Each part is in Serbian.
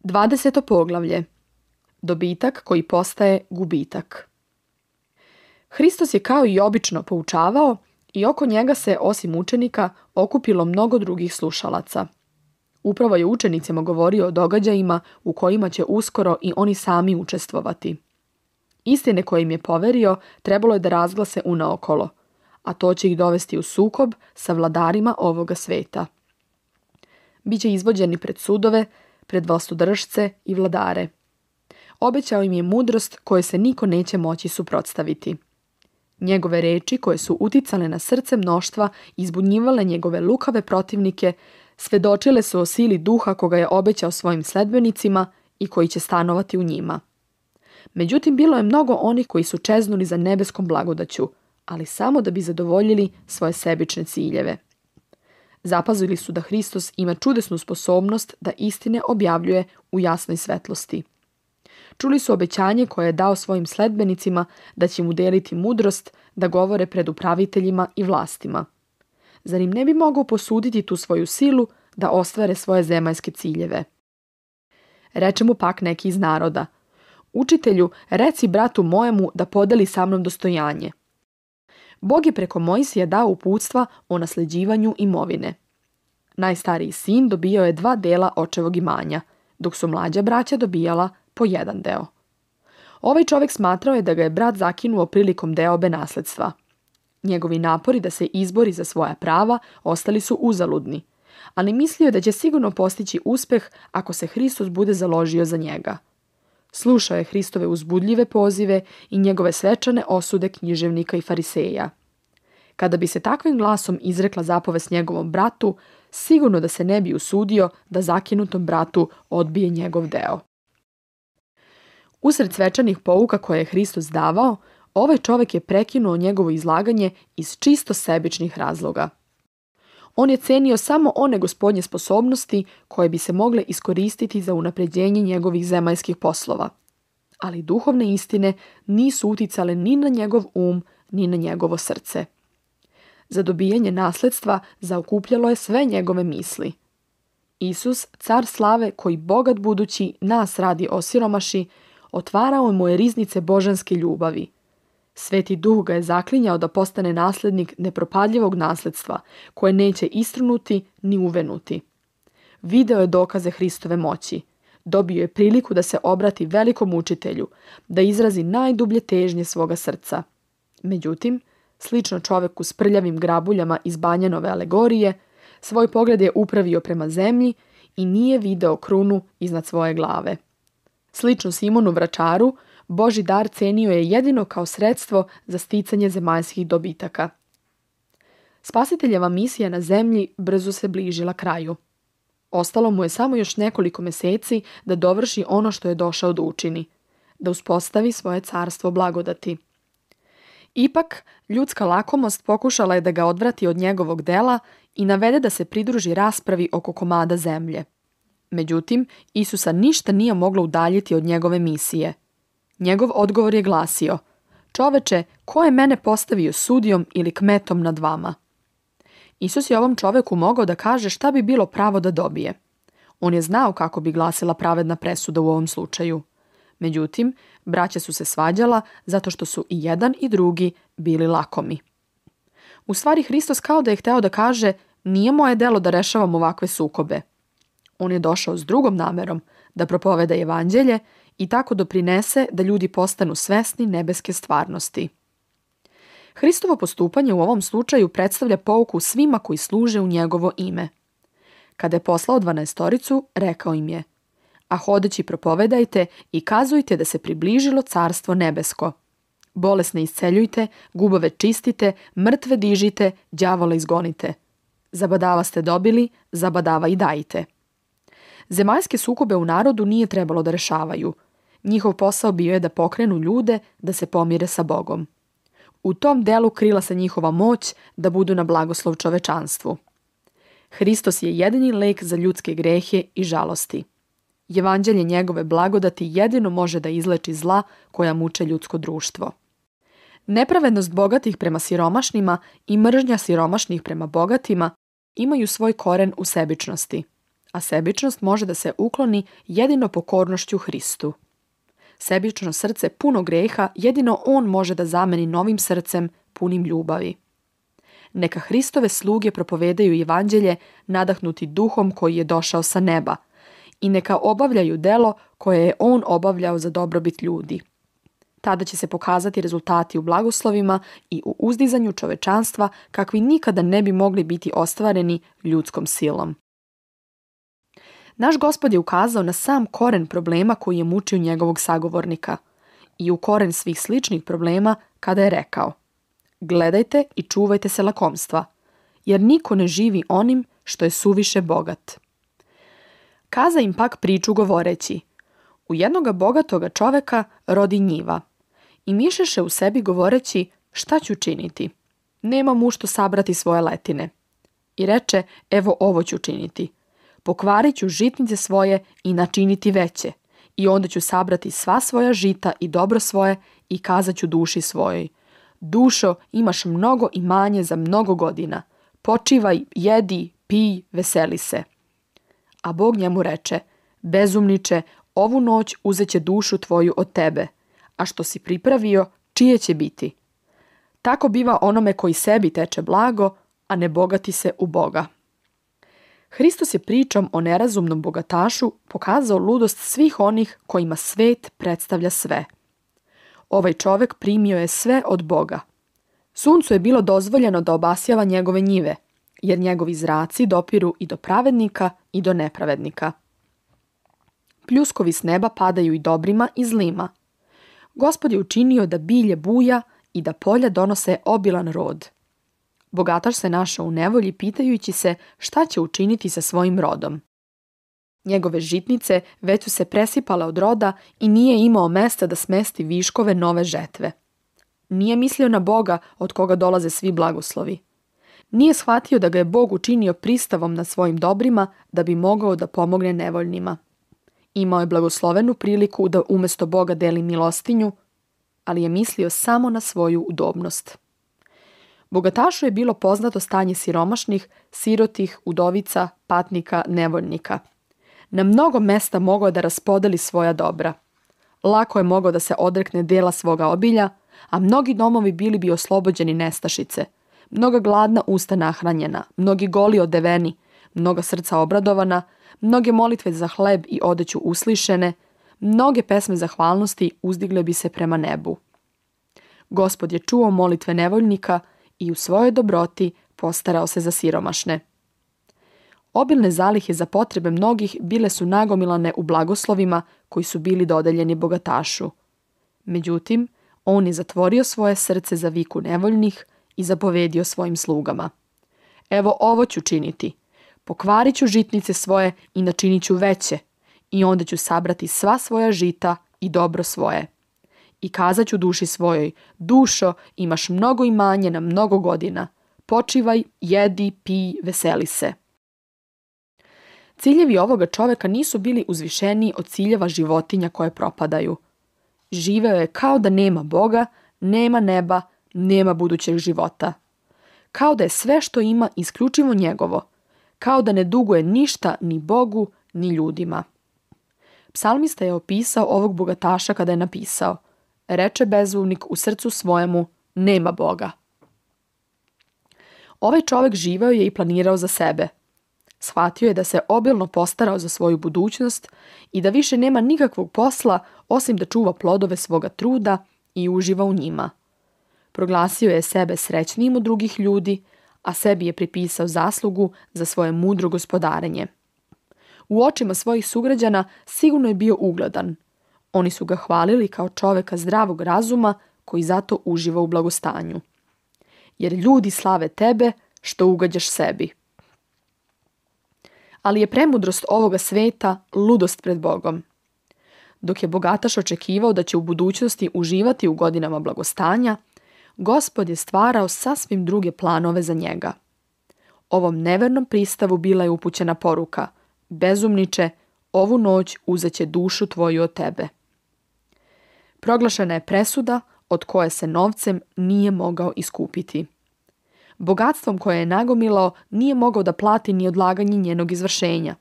20. poglavlje. Dobitak koji postaje gubitak. Hristos je kao i obično poučavao i oko njega se, osim učenika, okupilo mnogo drugih slušalaca. Upravo je učenicima govorio o događajima u kojima će uskoro i oni sami učestvovati. Istine koje im je poverio trebalo je da razglase unaokolo, a to će ih dovesti u sukob sa vladarima ovoga sveta. Biće izvođeni pred sudove, pred vlastodržce i vladare. Obećao im je mudrost koje se niko neće moći suprotstaviti. Njegove reči koje su uticale na srce mnoštva i zbunjivale njegove lukave protivnike, svedočile su o sili duha koga je obećao svojim sledbenicima i koji će stanovati u njima. Međutim, bilo je mnogo onih koji su čeznuli za nebeskom blagodaću, ali samo da bi zadovoljili svoje sebične ciljeve. Zapazili su da Hristos ima čudesnu sposobnost da istine objavljuje u jasnoj svetlosti. Čuli su obećanje koje je dao svojim sledbenicima da će mu deliti mudrost da govore pred upraviteljima i vlastima. Zar im ne bi mogao posuditi tu svoju silu da ostvare svoje zemaljske ciljeve? Reče mu pak neki iz naroda: Učitelju, reci bratu mojemu da podeli sa mnom dostojanje. Bog je preko Mojsija dao uputstva o nasleđivanju imovine. Najstariji sin dobijao je 2 dela očevog imanja, dok su mlađa braća dobijala po 1 deo. Ovaj čovjek smatrao je da ga je brat zakinuo prilikom deobe nasledstva. Njegovi napori da se izbori za svoja prava ostali su uzaludni, ali mislio je da će sigurno postići uspeh ako se Hristos bude založio za njega. Slušao je Hristove uzbudljive pozive i njegove svečane osude književnika i fariseja. Kada bi se takvim glasom izrekla zapovest njegovom bratu, sigurno da se ne bi usudio da zakinutom bratu odbije njegov deo. Usred svečanih pouka koje je Hristos davao, ovaj čovjek je prekinuo njegovo izlaganje iz čisto sebičnih razloga. On je cenio samo one gospodnje sposobnosti koje bi se mogle iskoristiti za unapređenje njegovih zemaljskih poslova. Ali duhovne istine nisu uticale ni na njegov ni na njegovo srce. Za dobijanje nasledstva zaokupljalo je sve njegove misli. Isus, car slave koji bogat budući nas radi osiromaši, otvarao mu je riznice božanske ljubavi. Sveti duh ga je zaklinjao da postane naslednik nepropadljivog nasledstva, koje neće istrunuti ni uvenuti. Video je dokaze Hristove moći. Dobio je priliku da se obrati velikom učitelju, da izrazi najdublje težnje svoga srca. Međutim, slično čoveku s prljavim grabuljama iz Banjanove alegorije, svoj pogled je upravio prema zemlji i nije video krunu iznad svoje glave. Slično Simonu Vračaru, Božji dar cenio je jedino kao sredstvo za sticanje zemaljskih dobitaka. Spasiteljeva misija na zemlji brzo se bližila kraju. Ostalo mu je samo još nekoliko mjeseci da dovrši ono što je došao da učini, da uspostavi svoje carstvo blagodati. Ipak, ljudska lakomost pokušala je da ga odvrati od njegovog dela i navede da se pridruži raspravi oko komada zemlje. Međutim, Isusa ništa nije moglo udaljiti od njegove misije. Njegov odgovor je glasio: Čoveče, ko je mene postavio sudijom ili kmetom nad vama? Isus je ovom čoveku mogao da kaže šta bi bilo pravo da dobije. On je znao kako bi glasila pravedna presuda u ovom slučaju. Međutim, braća su se svađala zato što su i jedan i drugi bili lakomi. U stvari, Hristos kao da je hteo da kaže: nije moje delo da rešavam ovakve sukobe. On je došao s drugom namerom, da propoveda evanđelje i tako doprinese da ljudi postanu svesni nebeske stvarnosti. Hristovo postupanje u ovom slučaju predstavlja pouku svima koji služe u njegovo ime. Kada je poslao 12, rekao im je: A hodeći propovedajte i kazujte da se približilo carstvo nebesko. Bolesne isceljujte, gubave čistite, mrtve dižite, đavola izgonite. Zabadava ste dobili, zabadava i dajte. Zemaljske sukobe u narodu nije trebalo da rešavaju. Njihov posao bio je da pokrenu ljude da se pomire sa Bogom. U tom delu krila se njihova moć da budu na blagoslov čovečanstvu. Hristos je jedini lek za ljudske grehe i žalosti. Evanđelje njegove blagodati jedino može da izleči zla koja muče ljudsko društvo. Nepravednost bogatih prema siromašnima i mržnja siromašnih prema bogatima imaju svoj koren u sebičnosti. a sebičnost može da se ukloni jedino pokornošću Hristu. Sebično srce puno greha jedino on može da zameni novim srcem punim ljubavi. Neka Hristove sluge propovedaju evanđelje nadahnuti duhom koji je došao sa neba i neka obavljaju delo koje je on obavljao za dobrobit ljudi. Tada će se pokazati rezultati u blagoslovima i u uzdizanju čovečanstva kakvi nikada ne bi mogli biti ostvareni ljudskom silom. Naš Gospod je ukazao na sam koren problema koji je mučio njegovog sagovornika i u koren svih sličnih problema kada je rekao: gledajte i čuvajte se lakomstva, jer niko ne živi onim što je suviše bogat. Kaza im pak priču govoreći: u jednoga bogatoga čoveka rodi njiva i mišeše u sebi govoreći: šta ću činiti? Nema mu što sabrati svoje letine. I reče: evo ovo ću činiti. Pokvarit ću žitnice svoje i načiniti veće, i onda ću sabrati sva svoja žita i dobro svoje i kazat ću duši svojoj: dušo, imaš mnogo imanje za mnogo godina. Počivaj, jedi, pij, veseli se. A Bog njemu reče: bezumniče, ovu noć uzeće dušu tvoju od tebe, a što si pripravio, čije će biti? Tako biva onome koji sebi teče blago, a ne bogati se u Boga. Hristos je pričom o nerazumnom bogatašu pokazao ludost svih onih kojima svet predstavlja sve. Ovaj čovjek primio je sve od Boga. Suncu je bilo dozvoljeno da obasjava njegove njive, jer njegovi zraci dopiru i do pravednika i do nepravednika. Pljuskovi s neba padaju i dobrima i zlima. Gospod je učinio da bilje buja i da polja donose obilan rod. Bogataš se našao u nevolji pitajući se šta će učiniti sa svojim rodom. Njegove žitnice već su se presipale od roda i nije imao mesta da smesti viškove nove žetve. Nije mislio na Boga od koga dolaze svi blagoslovi. Nije shvatio da ga je Bog učinio pristavom nad svojim dobrima da bi mogao da pomogne nevoljnima. Imao je blagoslovenu priliku da umjesto Boga deli milostinju, ali je mislio samo na svoju udobnost. Bogatašu je bilo poznato stanje siromašnih, sirotih, udovica, patnika, nevoljnika. Na mnogo mesta mogao je da raspodeli svoja dobra. Lako je mogao da se odrekne dela svoga obilja, a mnogi domovi bili bi oslobođeni nestašice. Mnoga gladna usta nahranjena, mnogi goli odeveni, mnoga srca obradovana, mnoge molitve za hleb i odeću uslišene, mnoge pesme zahvalnosti uzdigle bi se prema nebu. Gospod je čuo molitve nevoljnika i u svojoj dobroti postarao se za siromašne. Obilne zalihe za potrebe mnogih bile su nagomilane u blagoslovima koji su bili dodeljeni bogatašu. Međutim, on je zatvorio svoje srce za viku nevoljnih i zapovedio svojim slugama: evo ovo ću činiti. Pokvarit ću žitnice svoje i načinit ću veće, i onda ću sabrati sva svoja žita i dobro svoje. I kazat ću duši svojoj: dušo, imaš mnogo imanje na mnogo godina. Počivaj, jedi, pij, veseli se. Ciljevi ovoga čovjeka nisu bili uzvišeniji od ciljeva životinja koje propadaju. Živeo je kao da nema Boga, nema neba, nema budućeg života. Kao da je sve što ima isključivo njegovo. Kao da ne duguje ništa ni Bogu, ni ljudima. Psalmista je opisao ovog bogataša kada je napisao: reče bezumnik u srcu svojemu: nema Boga. Ovaj čovjek živeo je i planirao za sebe. Shvatio je da se obilno postarao za svoju budućnost i da više nema nikakvog posla osim da čuva plodove svoga truda i uživa u njima. Proglasio je sebe srećnijim od drugih ljudi, a sebi je pripisao zaslugu za svoje mudro gospodarenje. U očima svojih sugrađana sigurno je bio ugledan. Oni su ga hvalili kao čovjeka zdravog razuma koji zato uživa u blagostanju. Jer ljudi slave tebe što ugađaš sebi. Ali je premudrost ovoga sveta ludost pred Bogom. Dok je bogataš očekivao da će u budućnosti uživati u godinama blagostanja, Gospod je stvarao sasvim druge planove za njega. Ovom nevernom pristavu bila je upućena poruka: bezumniče, ovu noć uzeće dušu tvoju od tebe. Proglašena je presuda od koje se novcem nije mogao iskupiti. Bogatstvom koje je nagomilao nije mogao da plati ni odlaganje njenog izvršenja.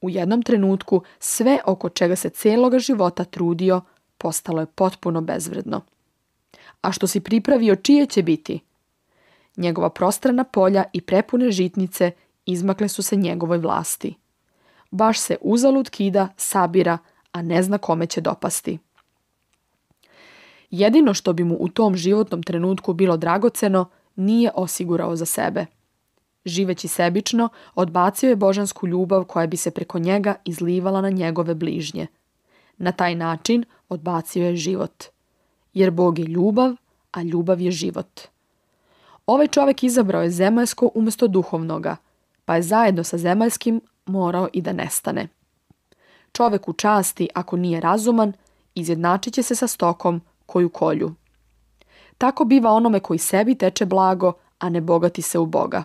U jednom trenutku sve oko čega se celoga života trudio postalo je potpuno bezvredno. A što si pripravio, čije će biti? Njegova prostrana polja i prepune žitnice izmakle su se njegovoj vlasti. Baš se uzalud kida, sabira, a ne zna kome će dopasti. Jedino što bi mu u tom životnom trenutku bilo dragoceno, nije osigurao za sebe. Živeći sebično, odbacio je božansku ljubav koja bi se preko njega izlivala na njegove bližnje. Na taj način odbacio je život. Jer Bog je ljubav, a ljubav je život. Ovaj čovjek izabrao je zemaljsko umjesto duhovnoga, pa je zajedno sa zemaljskim morao i da nestane. Čovjek u časti, ako nije razuman, izjednačit će se sa stokom koju kolju. Tako biva onome koji sebi teče blago, a ne bogati se u Boga.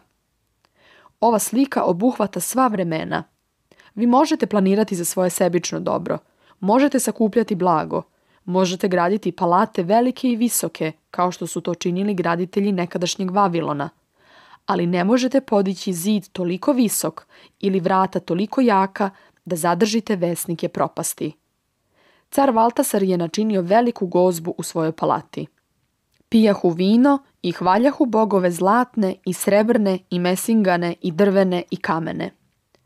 Ova slika obuhvata sva vremena. Vi možete planirati za svoje sebično dobro, možete sakupljati blago, možete graditi palate velike i visoke, kao što su to činili graditelji nekadašnjeg Vavilona, ali ne možete podići zid toliko visok ili vrata toliko jaka da zadržite vesnike propasti. Car Valtasar je načinio veliku gozbu u svojoj palati. Pijahu vino i hvaljahu bogove zlatne i srebrne i mesingane i drvene i kamene.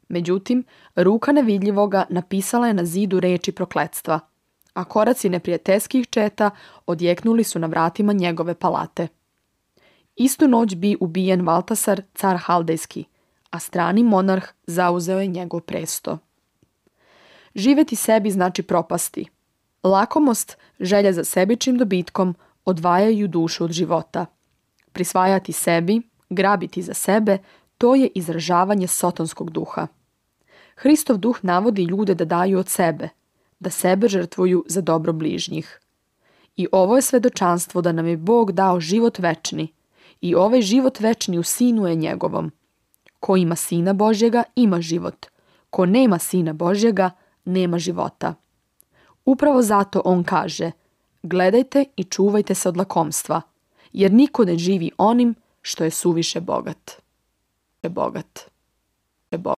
Međutim, ruka nevidljivoga napisala je na zidu reči prokletstva, a koraci neprijateljskih četa odjeknuli su na vratima njegove palate. Istu noć bi ubijen Valtasar, car Haldejski, a strani monarh zauzeo je njegov presto. Živjeti sebi znači propasti. Lakomost, želja za sebičnim dobitkom odvajaju dušu od života. Prisvajati sebi, grabiti za sebe, to je izražavanje sotonskog duha. Hristov duh navodi ljude da daju od sebe, da sebe žrtvuju za dobro bližnjih. I ovo je svedočanstvo da nam je Bog dao život večni, i ovaj život večni u Sinu je njegovom. Ko ima Sina Božjega, ima život. Ko nema Sina Božjega, nema života. Upravo zato on kaže: gledajte i čuvajte se od lakomstva, jer niko ne živi onim što je suviše bogat.